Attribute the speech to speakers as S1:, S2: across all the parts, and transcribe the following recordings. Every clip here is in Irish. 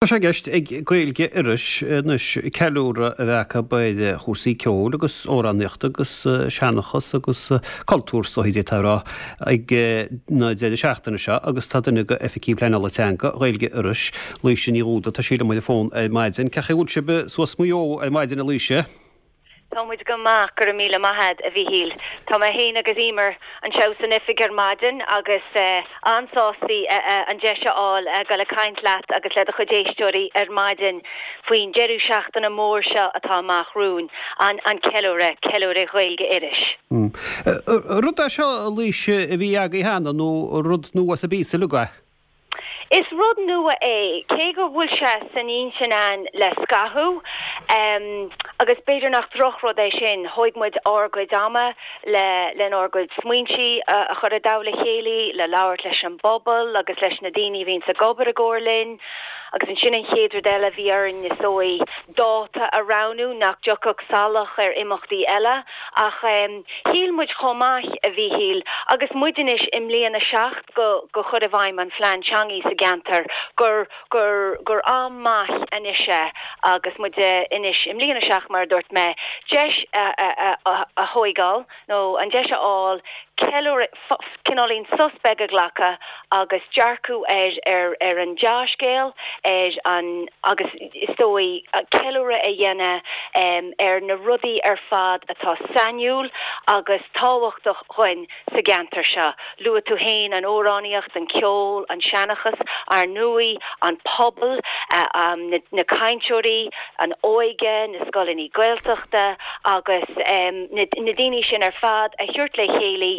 S1: Tá sé i gceist ag Gaeilge Iorrais anois ceiliúradh a bheith acu ar chúrsaí ceoil agus amhránaíochta agus seanchas agus cultúr is dóichí d'fhéadfá a rá ag an deireadh seachtaine seo agus tá duine de Oifigigh Pleanála Teanga Ghaeilge Iorrais, Laoise Ní Dhúda, tá sí liom ar an bhfón ar maidin. Cén chaoi a bhfuil sibh suas Maigh Eo ar maidin a Laoise?
S2: Tá muid go maith, go raibh míle maith a'd, a Mhíchíl. Tá mé fhéin agus Emer anseo san oifig ar maidin agus an-sástaí an deis a fháil a dhul ag caint leat agus le do chuid éisteoirí ar maidin faoin deireadh seachtaine mór seo atá amach romhainn, an an ceiliúradh, Ceiliúradh Ghaeilge Iorrais.
S1: Rud é seo, a Laoise, a bhí agaibh cheana nó rud nua as an bpíosa uilig é?
S2: Is rud nua é, cé go bhfuil sé san intinn a'ainn le scaitheamh, agus b'fhéidir nach drochrud é sin. Thóig muid ár gcuid ama le lenár gcuid smaointí a chur i dtoll a chéile, le labhairt leis an bpobal agus leis na daoine a bhíonns ag obair i gcomhar linn. Agus ansin an chéad rud eile a bhí orainn is dóigh dáta a roghnú nach dtiocfadh salach ar imeachtaí eile. Ach shíl muid chomh maith, a Mhíchíl, agus muid anois i mbliain a 7, go go chur i bhfeidhm an phlean teangaí sa gceantar gur gur gur am maith anois é agus muid anois i mbliain a 7 mar a dúirt mé deis a a a a thóigeáil nó an deis a fháil ceiliúradh cineáilín sos beag a ghlacadh agus dearcadh ar ar ar an dea-scéal ar an agus is dóigh ceiliúradh a dhéanamh ar na rudaí ar fad atá sainiúil agus tábhachtach dhuinn sa gceantar seo. Luaigh tú féin an amhránaíocht, an ceol, an seanchas, ar ndóigh, an pobal, na cainteoirí, an óige, na scoileanna Gaeltachta agus na daoine sin ar fad a thabhairt le chéile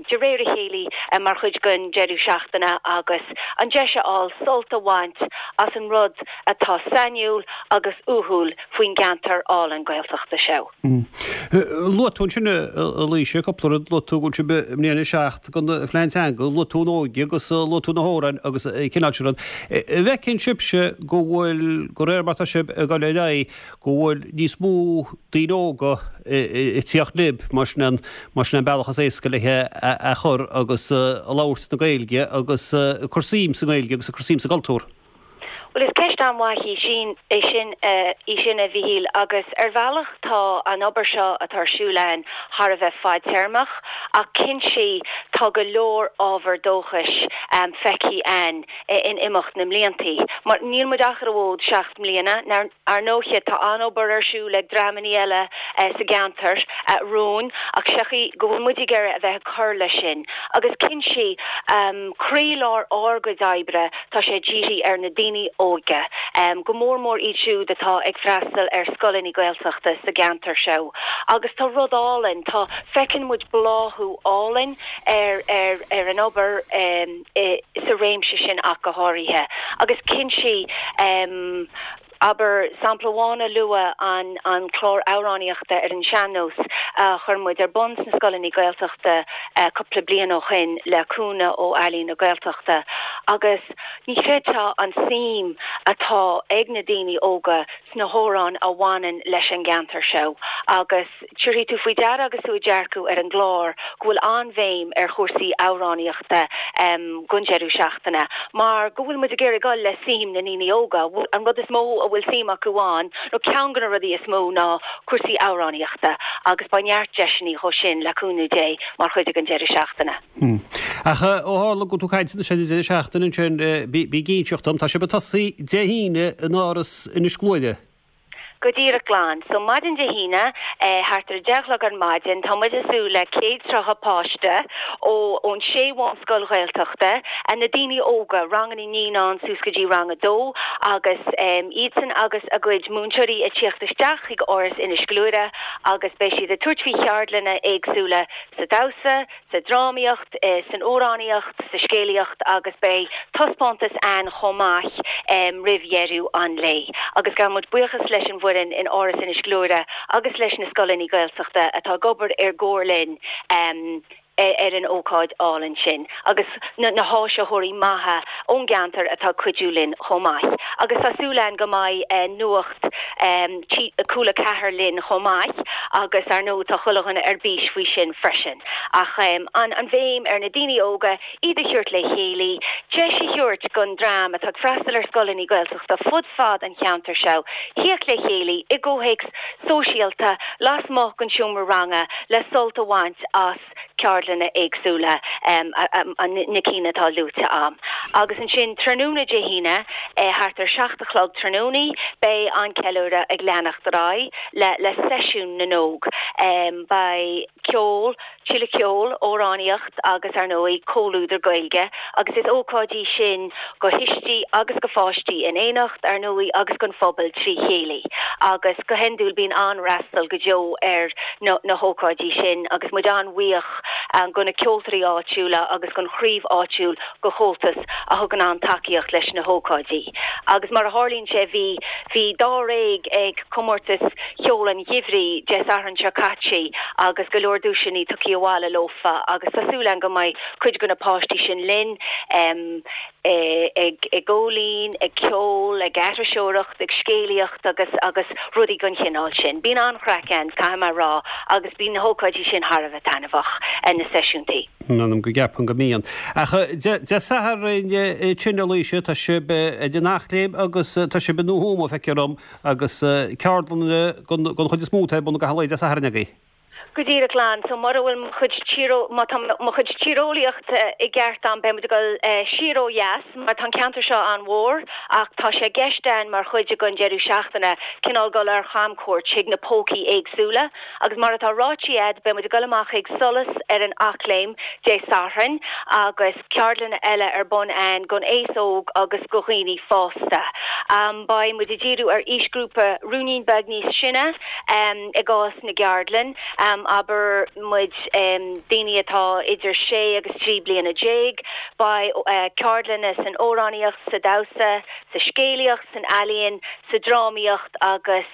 S2: de réir a chéile mar chuid den deireadh seachtaine agus an deis a fháil sult a bhaint as an rud atá sainiúil agus uathúil faoin gceantar álainn Gaeltachta seo.
S1: Luaigh tú ansin, a Laoise, cúpla rud, luaigh tú go bhfuil sibh i mbliain a 7 den phlean teanga, luaigh tú an óige agus luaigh tú na hamhráin agus an cineál sin rud. An bhfeiceann sibhse go bhfuil, de réir mar atá sibh ag dul ar aghaidh, go bhfuil níos mó daoine óga ag tíocht libh, mar sin an, mar sin an bealach is éasca le é a chur agus ag labhairt na Gaeilge agus ag cur suim sa nGaeilge agus ag cur suim sa gcultúr?
S2: Bhuel, is ceist an-mhaith í sin, é sin, í sin, a Mhíchíl, agus ar bhealach tá an obair seo atá ar siúl a'ainn thar a bheith fadtéarmach, ach cinnte tá go leor ábhar dóchais feicthe a'ainn in imeacht na mbliantaí. Mar níl muid ach ar an bhfód 7 mbliana, ar ndóiche tá an-obair ar siúl ag dreamannaí eile sa gceantar romhainn, ach seochaí go bhfuil muid ag iarraidh a bheith ag cur leis sin. Agus cinnte, croílár ár gcuid oibre, Tá sé dírithe ar na daoine óga, go mór mór iad siúd atá ag freastal ar scoileanna Gaeltachta sa gceantar seo. Agus tá rud álainn, tá, feiceann muid bláthú álainn ar, ar, ar an obair sa réimse sin ach go háirithe. Agus cinnte, Abair, sampla amháin a lua, an an clár amhránaíochta ar an sean-nós a chuir muid ar bun sna scoileanna Gaeltachta cúpla bliain ó shoin le cúnamh ó Ealaín na Gaeltachta agus ní chreidfeá an suim atá ag na daoine óga sna hamhráin a bhaineann leis an gceantar seo agus Tabharfaidh tú faoi deara agus tú ag dearcadh ar an gclár go bhfuil an-bhéim ar chúrsaí amhránaíochta don deireadh seachtaine mar go bhfuil muid ag iarraidh dul le suim na ndaoine óga. An rud is mó a bhfuil suim acu ann, nó ceann de na rudaí is mó, ná cúrsaí amhránaíochta agus beidh neart deiseanna dhó sin, le cúnamh Dé, mar chuid den deireadh seachtaine.
S1: Ach ó tharla go bhfuil tú ag caint anois ar an deireadh seachtaine ansin, bí ag inseacht dom, tá sibh ag tosaí Dé hAoine in Áras Inis Gluaire.
S2: Go díreach glan. So maidin Dé hAoine, thart ar a 10 a chlog ar maidin, tá muid ag súil le 130 páiste ó ón sé bhunscoil Ghaeltachta, na daoine óga, ranganna naíonán suas go dtí rang a dó, agus iadsan agus a gcuid múinteoirí ag tíocht isteach chuig Áras Inis Gluaire agus beidh siad ag tabhairt faoi cheardlanna éagsúla sa damhsa, sa drámaíocht, san amhránaíocht, sa scéalaíocht agus beidh taispeántas ann chomh maith roimh dheireadh an lae. Agus gabhann muid buíochas leis an bhfoireann in Áras Inis Gluaire agus leis na scoileanna Gaeltachta atá ag obair i gcomhar linn ar an ócáid álainn sin agus na háisitheoirí maithe ón gceantar atá ag cuidiú linn chomh maith. Agus tá súil againn go mbeidh Nuacht Cúla 4 linn chomh maith agus ar ndóigh tá chuile dhuine ar bís faoi sin freisin. Ach an an bhéim ar na daoine óga, iad a thabhairt le chéile, deis a thabhairt don dream atá ag freastal ar scoileanna Gaeltachta fud fad an cheantair seo thíocht le chéile i gcomhthéacs sóisialta lasmuigh den seomra ranga le sult a bhaint as ceardlanna éagsúla, na cinn atá luaite a'm. Agus ansin tráthnóna Dé hAoine, thart ar 7 a chlog tráthnóna, beidh an ceiliúradh ag leanacht ar aghaidh le le seisiún na n-óg. Beidh ceol, tuilleadh ceoil, amhránaíocht agus, ar ndóigh, comhluadar Gaeilge agus is ócáid í sin go thuistí agus go pháistí in éineacht, ar ndóigh, agus don phobal trí chéile. Agus go hiondúil bíonn an-fhreastal go deo ar na hócáidí sin agus muid an-bhuíoch go na ceoltóirí áitiúla agus gon chraobh áitiúil go Chomhaltas a thugann an-tacaíocht leis na hócáidí. Agus mar a tharlaíonn sé bhí bhí dáréag ag comórtas Cheol an Gheimhridh Dé Sathairn seo caite agus go leor duaiseanna tugtha abhaile leofa agus tá súil againn go mbeidh cuid de na páistí sin linn ag ag ól linn, ag ceol, ag aithriseoireacht, ag scéalaíocht agus agus rudaí den chineál sin. Bíonn an-chraic ann, caithfidh mé a rá, agus bíonn na hócáidí sin thar a bheith taitneamhach, na seisiúntaí.
S1: M'anam go gceapaim go mbíonn. Ach Dé Sathairn sin, a Laoise, tá sibh ag an Eachléim agus tá sibh i nDumha Thuama, feictear dom, agus ceardlanna den chuid is mó atá ar bun i gcaitheamh lae Dé Sathairn agaibh.
S2: Go díreach Lan, so mura bhfuil mo chuid tír, má tá mo chuid tíreolaíochta i gceart a'm, beidh muid ag dul siar ó dheas mar tá an ceantar seo an-mhór ach tá sé i gceist a'inn mar chuid den deireadh seachtaine cineál dul ar chamchuairt chuig na pócaí éagsúla agus mar atá ráite a'd beidh muid ag dul amach chuig Solas ar an Eachléim Dé Sathairn agus ceardlanna eile ar bun a'inn don aos óg agus go dhaoine fásta. Beidh muid ag díriú ar aoisghrúpa ruainnín beag níos sine i gcás na gceardlann, abair muid daoine atá idir sé agus 13 bliana. Beidh ceardlanna san amhránaíocht, sa damhsa, sa scéalaíocht, san ealaíon, sa drámaíocht agus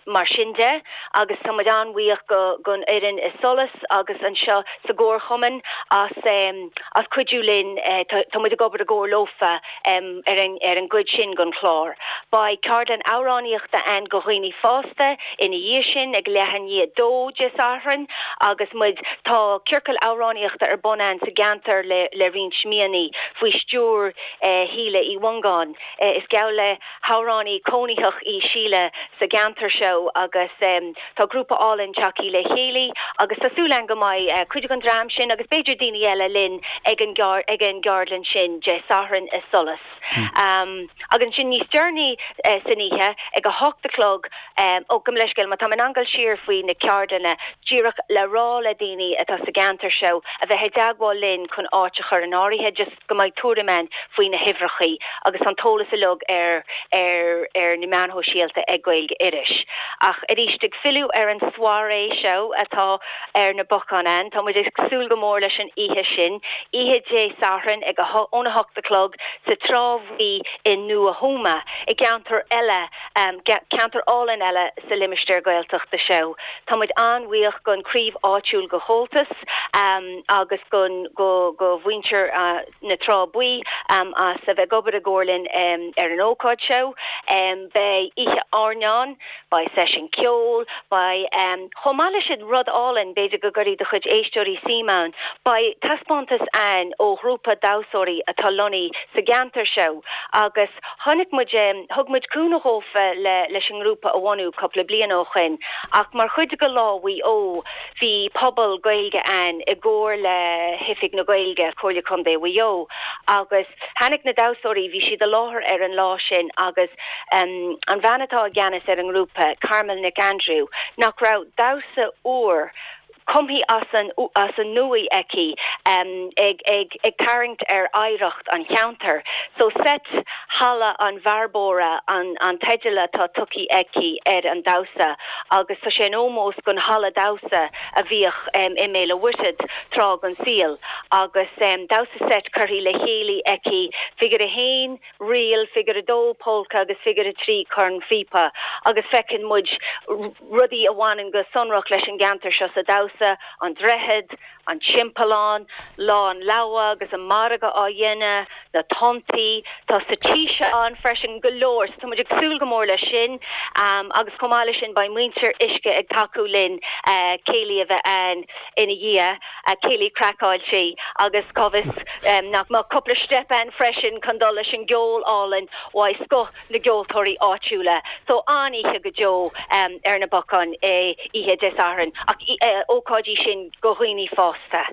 S2: mar sin de agus tá muid an-bhuíoch gon fhoireann i Solas agus anseo sa gComharchumann as as cuidiú linn. Tá muid ag obair i gcomhar leofa ar an ar an gcuid sin gon chlár. Beidh ceardlann amhránaíochta ann go dhaoine fásta ina dhiaidh sin ag leath i ndiaidh a dó Dé Sathairn agus muid tá ciorcal amhránaíochta ar bun ann sa gceantar le le roinnt míonna faoi stiúir Shíle Uí Mhongáin. Is geall le hamhránaí cónaitheach í Síle sa gceantar seo agus tá grúpa álainn tagthaí le chéile agus tá súil againn go mbeidh cuid den dream sin agus b'fhéidir daoine eile linn ag an ag an gceardlann sin Dé Sathairn i Solas. Agus ansin níos deireanaí san oíche ag a hocht a chlog, ó gabh mo leithscéal má tá mé in ann dul siar faoi na ceardlanna díreach le rá le daoine atá sa gceantar seo a bheith i dteagmháil linn chun áit a chur in áirithe just go mbeidh tuairim ann faoi na huimhreachaí agus an t-eolas uilig ar ar ar na meáin shóisialta ag Gaeilge Iorrais. Ach arís, ag filleadh ar an soirée seo atá ar na bacáin ann, tá muid ag súil go mór leis an oíche sin, oíche Dé Sathairn ag a óna hocht a chlog sa Trá Bhuí i nDumha Thuama, i gceantar eile, ceantar álainn eile sa limistéar Gaeltachta seo. Tá muid an-bhuíoch don chraobh áitiúil go Chomhaltas agus go go mhuintir na Trá Buí as a bheith ag obair i gcomhar linn ar an ócáid seo. Beidh oíche airneáin, beidh seisiún ceoil, beidh, chomh maith leis sin, rud álainn, b'fhéidir go gcuirfidh do chuid éisteoirí suim ann, beidh taispeántas ann ó ghrúpa damhsóirí atá lonnaithe sa gceantar seo agus Chonaic muid, thug muid cúnamh dhófa le leis an ngrúpa a bhunú cúpla bliain ó shoin ach mar chuid de Lá Mhaigh Eo bhí puball Gaeilge ann i gcomhar le hOifig na Gaeilge, Comhairle Contae Mhaigh Eo agus tháinig na damhsóirí, bhí siad i láthair ar an lá sin agus an bhean atá i gceannas ar an ngrúpa, Carmel Nic Aindriú, nach raibh damhsa úr cumthaí as an as an nuaidh aici ag ag ag tarraingt ar oidhreacht an cheantair. So seit Halla an Bhearbóra an an teideal atá tugthaí aici ar an damhsa agus tá sé in ómós don halla damhsa a bhíodh i mBéal a' Mhuirthead tráth den saol agus damhsa seit curthaí le chéile aici, figure a haon, ríl, figure 2, polca agus figure 3, cornphíopa, agus feiceann muid rudaí a bhaineann go sonrach leis an gceantar seo sa damhsa. damhsa, an droichead, an timpeallán, Lá an Leabha agus an margadh á dhéanamh, na tonntaí, tá Saoirse ann freisin, go leor, so tá muid ag súil go mór leis sin agus chomh maith leis sin beidh muintir Uisce ag tacú linn céilí a bheith ann ina dhiaidh, céilí craiceáilte agus cá bhfios nach mbeadh cúpla steip ann freisin chun dul leis an gceol álainn uaidh scoth na gceoltóirí áitiúla. So an-oíche go deo ar na bacáin oíche Dé Sathairn ach ócáid í sin go dhaoine fásta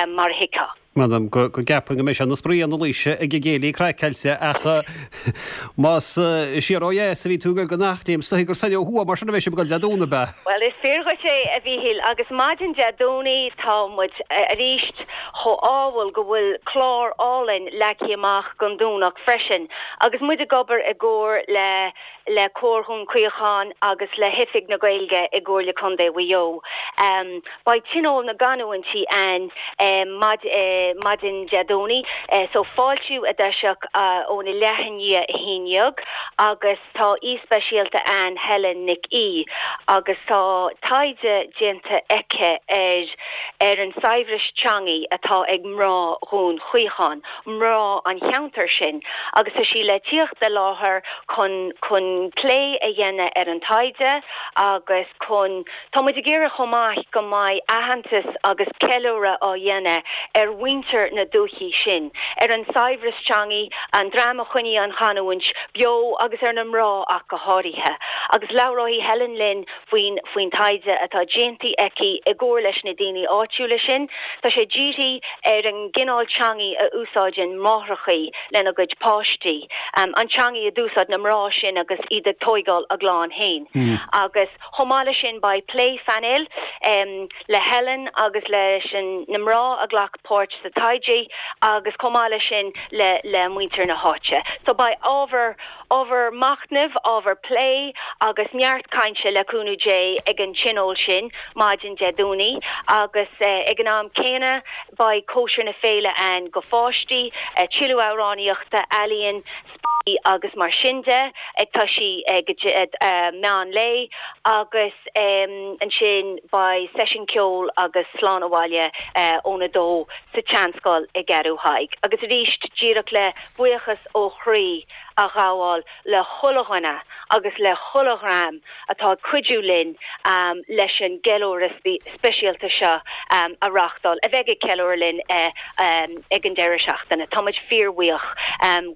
S2: mar a thuigfeá.
S1: M'anam go gceapfainn go mbeidh sé ina spraoi ann a Laoise ag an gcéilí craiceáilte ach más siar ó dheas a bhí tú ag goil go Eachléim is dóigh gur soir ó thuaidh mar sin a bheidh sibh ag goil Dé Domhnaigh, ab ea?
S2: Bhuel is fíor dhuit é a Mhíchíl agus maidin Dé Domhnaigh tá muid arís chomh ádhúil go bhfuil clár álainn leagtha amach don Domhnach freisin agus muid ag obair i gcomhar le le Comhar Dhún Chaocháin agus le hOifig na Gaeilge i gComhairle Contae Mhaigh Eo. Beidh Tionól na gCanúintí ann maidin Dé Domhnaigh so fáiltiú i dtoiseach óna leath i ndiaidh a haon dhéag agus Tá aoi speisialta ann, Helen Nic Aoidh, agus tá taighde déanta aici ar ar an saibhreas teangaí atá ag mná Dhún Chaocháin, mná an cheantair sin, agus tá sí le tíocht i láthair chun chun plé a dhéanamh ar an taighde agus chun Tá muid ag iarraidh chomh maith go mbeidh aitheantas agus ceiliúradh á dhéanamh ar mhuintir na dúichí sin, ar an saibhreas teangaí, an dream a choinnigh an chanúint beo agus ar na mná ach go háirithe. Agus labhróidh Helen linn faoin faoin taighde atá déanta aici i gcomhar leis na daoine áitiúla sin. Tá sé dírithe ar an gcineál teangaí a úsáideann máithreachaí lena gcuid páistí, an teangaí a d'úsáid na mná sin agus iad ag tóigeáil a gclann féin. Agus. Chomh maith leis sin beidh plé phainéil le Helen agus leis na mná a ghlac páirt sa taighde agus chomh maith leis sin le le muintir na háite. So beidh ábhar ábhar machnaimh, ábhar plé agus neart cainte le cúnamh Dé ag an tionól sin maidin Dé Domhnaigh agus ag an am céanna beidh cóisir na féile ann go pháistí, tuilleadh amhránaíochta, ealaíon, spraoi agus mar sin de, ag toisí ag meán lae agus ansin beidh seisiún ceoil agus slán abhaile óna dó sa tSeanscoil i gCeathrú Thaidhg. Agus arís, díreach le buíochas ó chroí a ghabháil le chuile dhuine agus le chuile dhream atá ag cuidiú linn leis an gceiliúradh speisialta seo a reáchtáil, a bheidh ag ceiliúradh linn ag an deireadh seachtaine. Tá muid fíorbhuíoch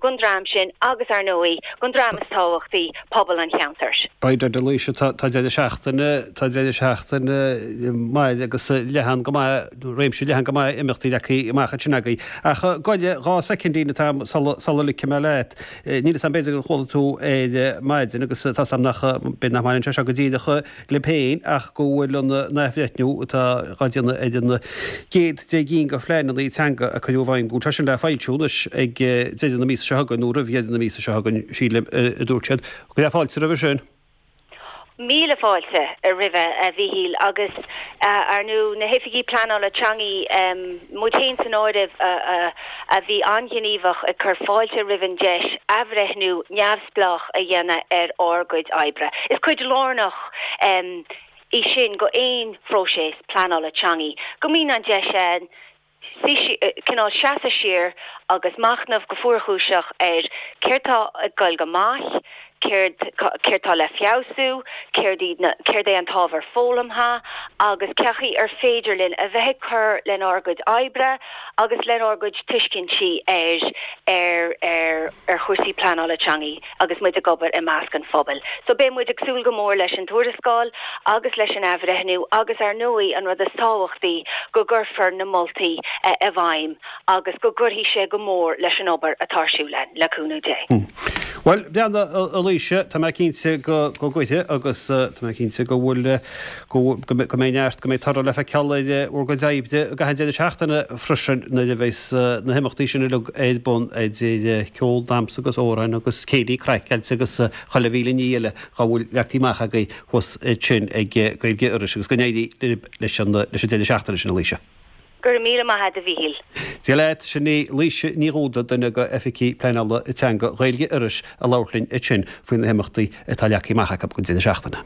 S2: gon dream sin agus, ar ndóigh, gon dream is tábhachtaí, pobal an cheantair.
S1: By dad, a Laoise, tá deireadh seachtaine, tá deireadh seachtaine maith agus leathan go maith, réimse leathan go maith imeachtaí leagtha amach ansin agaibh. Ach goile, 2 soicindín atá agam sula ligfidh mé leat. Níl 'fhios a'm, b'fhéidir gur chuala tú ar maidin agus tá 'fhios a'm nach, b'fhéidir nach mbaineann sé seo go díreach libh féin ach go bhfuil an athbhreithniú atá dhá déanamh ar an gcéad deich gcinn de phleananna teanga a cuireadh i bhfeidhm, go bhfuil sé sin le foilsiú anois ag deireadh na míosa seo chugainn nó roimh dheireadh na míosa seo chugainn, sílim, a dúirt siad. Go raibh fáilte roimhe sin.
S2: Míle fáilte roimhe, a Mhíchíl, agus ar ndú na hoifigigh pleanála teangaí, muid féin san áireamh, a bhí an-ghníomhach ag cur fáilte roimh an deis athbhreithniú neamhspleách a dhéanamh ar ár gcuid oibre. Is cuid lárnach í sin go aon phróiseas pleanála teangaí, go mbíonn an deis ann cineál seasamh siar agus machnamh go fuarchúiseach ar céard tá ag goil go maith, céard céard tá le feabhsú, céard iad na céard é an t-ábhar foghlamtha agus cé chaoi ar féidir linn a bheith ag cur lenár gcuid oibre agus lenár gcuid tuiscintí ar ar ar ar chúrsaí pleanála teangaí agus muid ag obair i measc an phobail. So beidh muid ag súil go mór leis an tuarascáil agus leis an athbhreithniú agus ar ndóigh an rud is tábhachtaí go gcuirfear na moltaí i bhfeidhm agus go gcuirfidh sé go mór leis an obair atá ar siúl againn, le cúnamh Dé.
S1: Bhuel, breathnaigh, a Laoise, tá mé cinnte go gcuirfidh agus tá mé cinnte go bhfuil, go mbeidh neart, go mbeidh toradh le feiceáil ar bhur gcuid oibre i gcaitheamh an deireadh seachtaine freisin nuair a bheas na himeachtaí sin uilig ar bun idir ceol, damhsa agus amhráin agus céilí craiceáilte agus chuile mhíle ní eile dhá bhfuil leagtha amach agaibh thuas ansin ag Gaeilge Iorrais agus go n-éirí libh leis an deireadh seachtaine sin, a Laoise.
S2: Go raibh míle maith agat, a Mhíchíl.
S1: Dia leat, sin í Laoise Ní Dhúda, duine de Oifigigh Pleanála Teanga Ghaeilge Iorrais ag labhairt linn ansin faoi na himeachtaí atá leagtha amach acu don deireadh seachtaine.